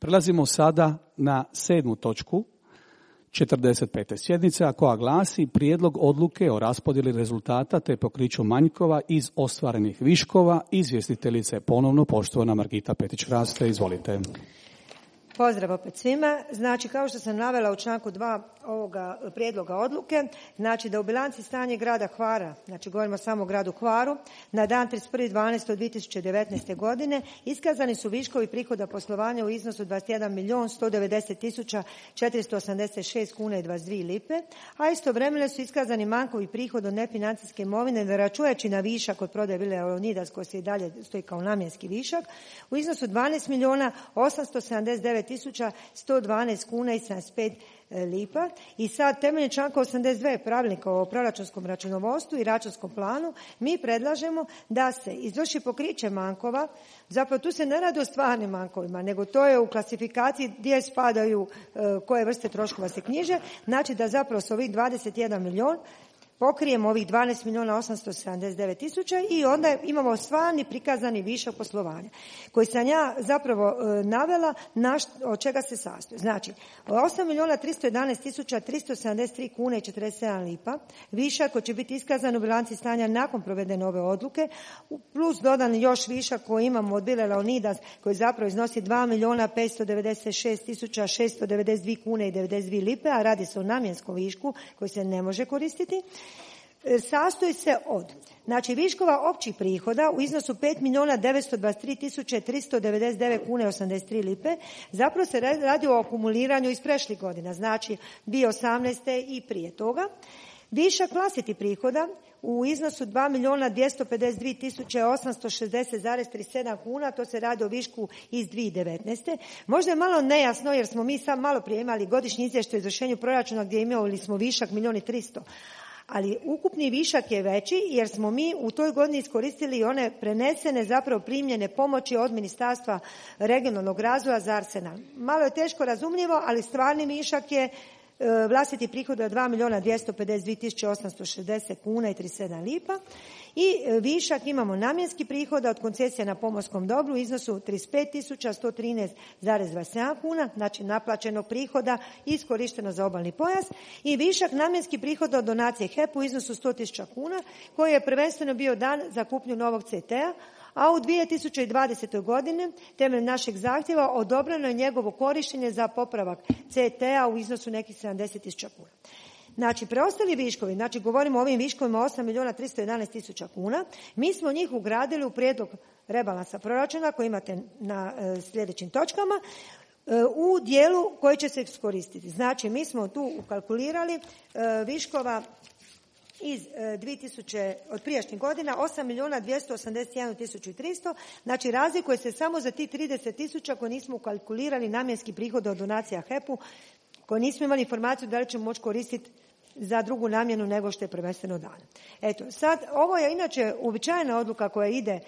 Prelazimo sada na 7. točku 45. sjednice, a koja glasi prijedlog odluke o raspodjeli rezultata te pokriću manjkova iz ostvarenih viškova. Izvjestiteljica je ponovno poštovana Margita Petić-Hraste. Izvolite. Pozdrav opet svima. Znači, kao što sam navela u članku 2 ovoga prijedloga odluke, znači da u bilanci stanje grada Hvara, znači govorimo samo o gradu Hvaru, na dan 31.12.2019. godine iskazani su viškovi prihoda poslovanja u iznosu 21.190.486 kuna i 22 lipe, a istovremeno su iskazani manjkovi prihod od nefinancijske imovine, ne računajući na višak od prodaje vile Leonidas koji se i dalje stoji kao namjenski višak, u iznosu 12.879.112 kuna i 75 lipa. I sad temeljem članka 82 pravilnika o proračunskom računovodstvu i računskom planu mi predlažemo da se izvrši pokriće manjkova. Zapravo tu se ne radi o stvarnim manjkovima, nego to je u klasifikaciji gdje spadaju koje vrste troškova se knjiže. Znači da zapravo s ovih 21 milijun pokrijemo ovih 12.879.000 i onda imamo stvarni prikazani višak poslovanja koji sam ja zapravo navela od čega se sastoji. Znači 8.311.373 kuna i 47 lipa višak koji će biti iskazan u bilanci stanja nakon provedene ove odluke, plus dodan još višak koji imamo od vile Leonidas koji zapravo iznosi 2.596.692 kune i 92 lipe, a radi se o namjenskom višku koji se ne može koristiti. Sastoji se od, znači, viškova općih prihoda u iznosu 5.923.399 kuna i 83 lipe. Zapravo se radi o akumuliranju iz prešlih godina, znači 2018. i prije toga. Višak vlastitih prihoda u iznosu 2.252.860,37 kuna, to se radi o višku iz 2019. Možda je malo nejasno jer smo mi sad malo prije imali godišnji izvještaj o izvršenju proračuna gdje imali smo višak 1.300.000. Ali ukupni višak je veći jer smo mi u toj godini iskoristili one prenesene zapravo primljene pomoći od Ministarstva regionalnog razvoja za Arsenal. Malo je teško razumljivo, ali stvarni višak je vlastiti prihod od 2.252.860 kuna i 37 lipa i višak imamo namjenski prihoda od koncesija na pomorskom dobru u iznosu 35.113,27 kuna, znači naplaćenog prihoda iskorišteno za obalni pojas, i višak namjenski prihoda od donacije HEP-u u iznosu 100.000 kuna koji je prvenstveno bio dan za kupnju novog CT-a, a u 2020. godine temeljem našeg zahtjeva odobreno je njegovo korištenje za popravak CT-a u iznosu nekih 70.000 kuna. Znači, preostali viškovi, znači govorimo o ovim viškovima 8.311.000 kuna, mi smo njih ugradili u prijedlog rebalansa proračuna koji imate na sljedećim točkama u dijelu koji će se iskoristiti. Znači, mi smo tu ukalkulirali viškova iz 2000 od prijašnjih godina 8.281.300, znači razlikuje se samo za tih 30.000 koje nismo ukalkulirali namjenski prihod od donacija HEP-u, koje nismo imali informaciju da li ćemo moći koristiti za drugu namjenu nego što je prvenstveno dano. Eto, sad ovo je inače uobičajena odluka koja ide,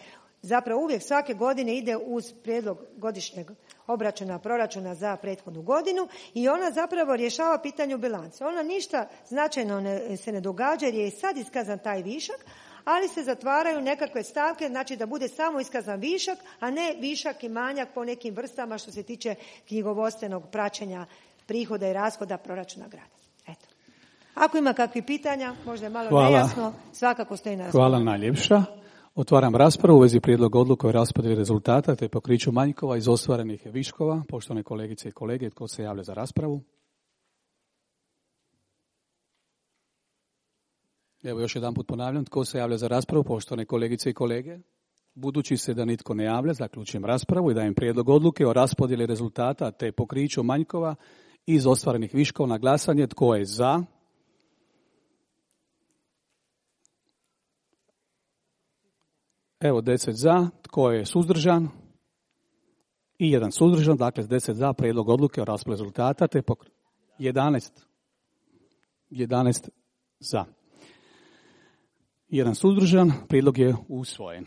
zapravo uvijek svake godine ide uz prijedlog godišnjeg obračuna proračuna za prethodnu godinu i ona zapravo rješava pitanje u bilanci. Ona ništa značajno se ne događa jer je i sad iskazan taj višak, ali se zatvaraju nekakve stavke, znači da bude samo iskazan višak, a ne višak i manjak po nekim vrstama što se tiče knjigovodstvenog praćenja prihoda i rashoda proračuna grada. Eto. Ako ima kakvih pitanja, možda je malo nejasno, svakako stoji na raspolaganju. Hvala najljepša. Otvaram raspravu u vezi prijedloga odluke o raspodjeli rezultata te pokriću manjkova iz ostvarenih viškova. Poštovane kolegice i kolege, tko se javlja za raspravu? Evo još jedan put ponavljam, tko se javlja za raspravu, poštovane kolegice i kolege? Budući se da nitko ne javlja, zaključujem raspravu i dajem prijedlog odluke o raspodjeli rezultata te pokriću manjkova iz ostvarenih viškova na glasanje. Tko je za? Evo 10 za, tko je suzdržan? I jedan suzdržan, dakle 10 za, prijedlog odluke o raspodjeli rezultata te 11 za. Jedan suzdržan, prijedlog je usvojen.